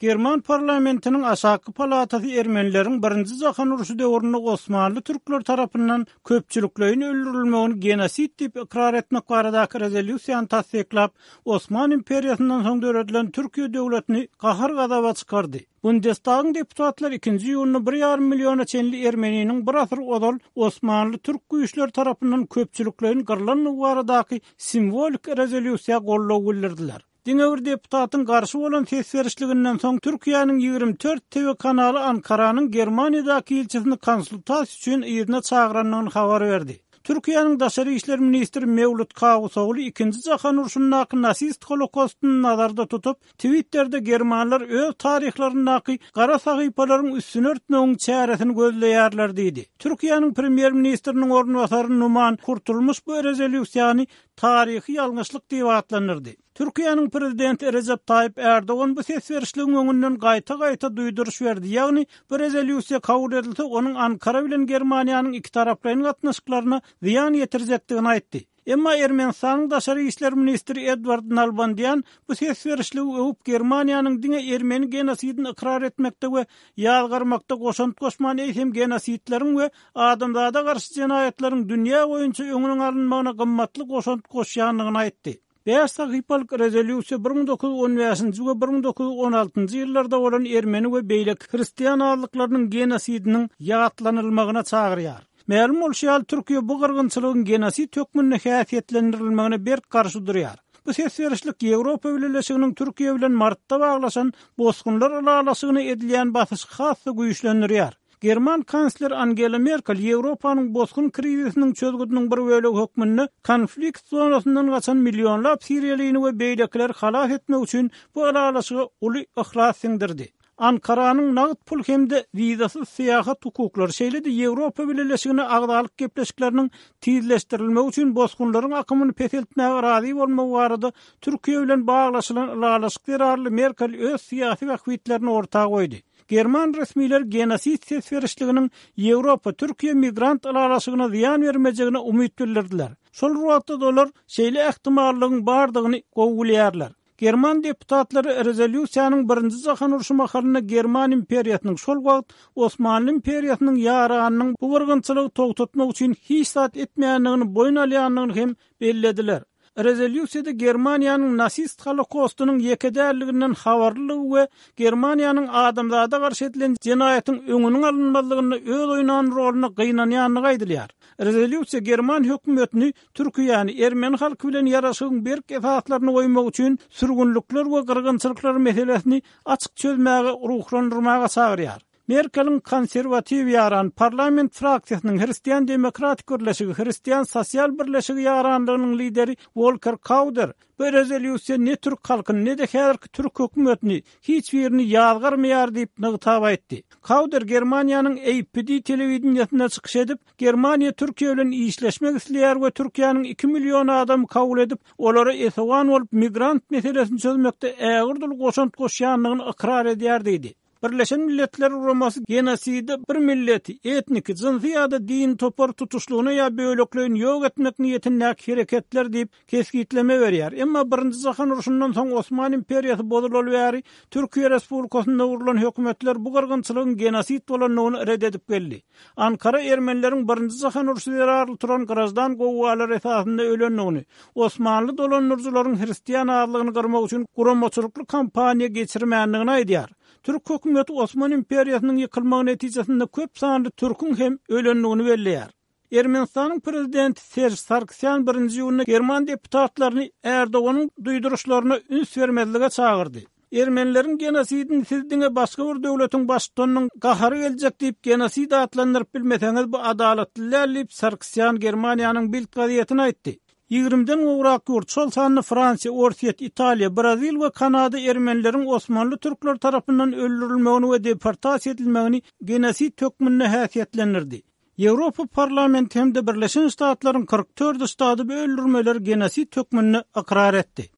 German parlamentiniň aşaky palatasy ermenileriň Birinji jahan urşy döwründe osmanly türkleri tarapyndan köpçülikleýin öldürilmegini genosid diýip ykrar etmek baradaky rezolýusiýany tassyklap, Osman imperiýasyndan soň döredilen Türkiýe döwletini gahar-gazaba çykardy. Bundestagyň deputatlary ikinji iýunda bir ýarym milliona çenli ermeniniň bir asyr ozal osmanly türk güýçleri tarapyndan köpçülikleýin gyrlandygy baradaky simwolik rezolýusiýa goldaw bildirdiler. Diňe bir deputatyň garşy bolan ses berişliginden soň Türkiýäniň 24 TV kanaly Ankaranyň Germaniýadaky ilçisini konsultasiýa üçin yzyna çagyrandygyny habar berdi. Türkiýäniň daşary işler ministri Mewlüt Kawusogly ikinji jahan urşundaky nasist holokostyny nazarda tutup, Twitterde germanlar öz taryhlaryndaky gara sahypalaryň üstüni örtmegiň çäresini gözleýärler diýdi. Türkiýäniň premýer-ministriniň orunbasary Numan Kurtulmuş bu rezolýusiýany taryhy ýalňyşlyk diýip atlandyrdy. Türkiýäniň prezidenti Rejep Taýyp Ärdogan bu ses berişligiň öňünden gaýta-gaýta duýduryş berdi, ýagny bu rezolýusiýa kabul edilse, onuň Ankara bilen Germaniýanyň ikitaraplaýyn gatnaşyklaryna zyýan ýetirjekdigini aýtdy. Emma Ermenistanyň daşary işler ministri Edward Nalbandýan bu ses berişligi öwüp, Germaniýanyň diňe ermeni genosidini ykrar etmekde we ýazgarmakda goşant goşman, eýsem genosidleriň we adamzada garşy jenaýatlaryň dünýä boýunça öňüniň alynmagyna gymmatly goşant goşýandygyny aýtdy. Bäş sahypalyk rezolýusiýa 1915-nji we 1916-njy ýyllarda bolan ermeni we beýleki hristian azlyklarynyň genosidiniň ýatlanylmagyna çagyrýar. Mälim bolşy ýaly, Türkiýe bu gyrgynçylygyň genosid hökmünde häsiýetlendirilmegine berk garşy durýar. Bu ses berişlik Ýewropa Bileleşiginiň Türkiýe bilen martda baglaşan bosgunlar ylalaşygyna edilýän basyşy has-da güýçlendirýär. German kansleri Angela Merkel Ýewropanyň bosgun krizisiniň çözgüdiniň bir bölegi hökmünde konflikt zonasyndan gaçan millionlap siriýalyny we beýlekileri halas etmek üçin bu ylalaşyga uly yhlas siňdirdi. Ankaranyň nagt pul hem-de wizasyz syýahat hukuklary, şeýle-de Ýewropa Bileleşigine agzalyk gepleşikleriniň tizleşdirilmegi üçin bosgunlaryň akymyny peseltmäge razy bolmagy barada Türkiýe bilen baglaşylan ylalaşyk zerarly Merkel öz syýasy bähbitlerini orta goýdy. German resmileri genosid ses berişliginiň Ýewropa-Türkiýe migrant ylalaşygyna zyýan bermejegine umyt bildirdiler. Şol bir wagtda-da olar şeýle ähtimallygyň bardygyny gowy bilýärler. German deputatlary rezolýusiýanyň Birinji jahan urşy mahalynda German imperiýasynyň, şol wagt Osmanly imperiýasynyň ýaranynyň bu gyrgynçylygy togtatmak üçin hiç zat etmeýändigini boýun alýandygyny hem bellediler. Rezolýusiýada Germaniýanyň nasist Holokostynyň ýeke däldiginden habarlylygy we Germaniýanyň adamzada garşy edilen jenaýatyň öňüniň alynmazlygynda öz oýnan roluna gynanýandygy aýdylýar. Rezolýusiýa german hökümetini Türkiýäni ermeni halky bilen ýaraşygyň berk esaslaryny goýmak üçin sürgünlikler we gyrgynçylyklar meselesini açyk çözmäge ruhlandyrmaga çagyrýar. Merkeliň konserwatiw ýaran parlament fraksiýasynyň Hristian demokratik birleşigi Hristian sosial birleşigi ýaranlygynyň lideri Wolker Kauder bu rezolýusiýa ne türk halkyny, ne-de häzirki türk hökümetini, hiç birini ýazgarmaýar diýip nygtap aýtdy. Kauder Germaniýanyň APD telewideniýesinde çykyş edip, Germaniýa Türkiýe bilen işleşmek isleýär we Türkiýäniň iki million adamy kabul edip, olara esewan bolup migrant meselesini çözmekde ägirt uly goşant goşýandygyny ykrar edýär diýdi. Birleşen Milletler Guramasy genosidi bir milleti, etniki, jynsy ýa-da dini topary tutuşlygyna ýa bölekleýin ýok etmek niýetindäki hereketler diýip kesgitleme berýär. Emma Birinji jahan urşundan soň Osman imperiýasy bozulaly bäri Türkiýe Respublikasynda gurlan hökümetler bu gyrgynçylygyň genosid bolandygyny ret edip geldi. Ankara ermenileriň Birinji jahan urşy zerarly turan graždan gowgalary esasynda ölendigini, osmanly dolandyryjylaryň hristian azlygyny gyrmak üçin guramaçylykly kampaniýa geçirmändigini aýdýar. Türk hökümeti Osman imperiýasynyň ýykylmagy netijesinde köp sanly türküň hem ölendigini belleýär. Ermenistanyň prezidenti Serž Sargsýan birinji iýunda german deputatlaryny Erdoganyň duýduryşlaryna üns bermezlige çagyrdy. Ermenileriň genosidini siz diňe başga bir döwletiň baştutanynyň gahary geljek diýip genosid atlandyryp bilmeseňiz bu adalatly däl diýip Sargsýan Germaniýanyň Bild gazetine aýtdy. Ýigrimiden gowrak ýurt, şol sanda Fransiýa, Orsýet, Italiýa, Brazil we Kanada ermenileriň osmanly türkleri tarapyndan öldürilmegini we deportasiýa edilmegini genosid hökmünde häsiýetlendirdi. Ýewropa Parlamenti hem-de Birleşen Ştatlaryň 44 ştady bu öldürmeleri genosid hökmünde ykrar etdi.